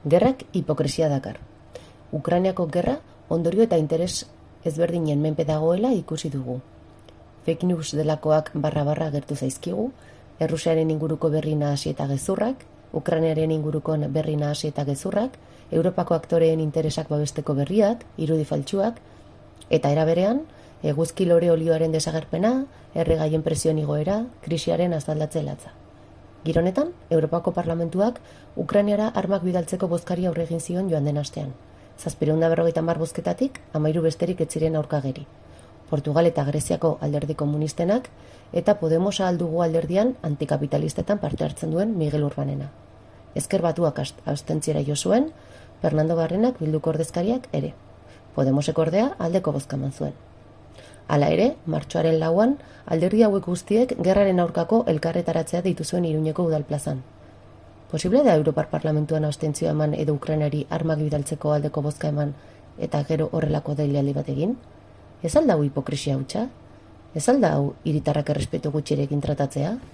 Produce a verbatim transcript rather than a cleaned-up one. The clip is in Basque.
Gerrak hipokresia dakar. Ukrainiako gerra ondorio eta interes ezberdinen menpe dagoela ikusi dugu. Fake news delakoak barra-barra gertu zaizkigu, Errusiaren inguruko berri nahasi eta gezurrak, Ukrainiaren inguruko berri nahasi eta gezurrak, Europako aktoreen interesak babesteko berriak, irudi faltsuak, eta era berean, eguzki lore olioaren desagerpena, erregaien presioen igoera, krisiaren azaldatze latza. Gironetan, Europako Parlamentuak Ukrainiara armak bidaltzeko bozkari aurre egin zion joan den astean. Zazpireun da berrogeita hamar bozketatik, hamairu besterik ez ziren aurkageri. Portugal eta Greziako alderdi komunistenak eta Podemos aldugu alderdian antikapitalistetan parte hartzen duen Miguel Urbanena. Ezker Batuak abstentziera jo zuen, Fernando Barrenak Bilduko ordezkariak ere. Podemosek ordea aldeko bozka eman zuen. Hala ere, martxoaren lauan, alderdi hauek guztiek gerraren aurkako elkarretaratzea deitu zuen Iruñeko udalplazan. Posible da Europar Parlamentuan abstentzioa eman edo Ukrainari armak bidaltzeko aldeko bozka eman eta gero horrelako deialdi bat egin? Ez alda hau hipokresia hutsa? Ez alda hau hiritarrak errespetu gutxirekin tratatzea?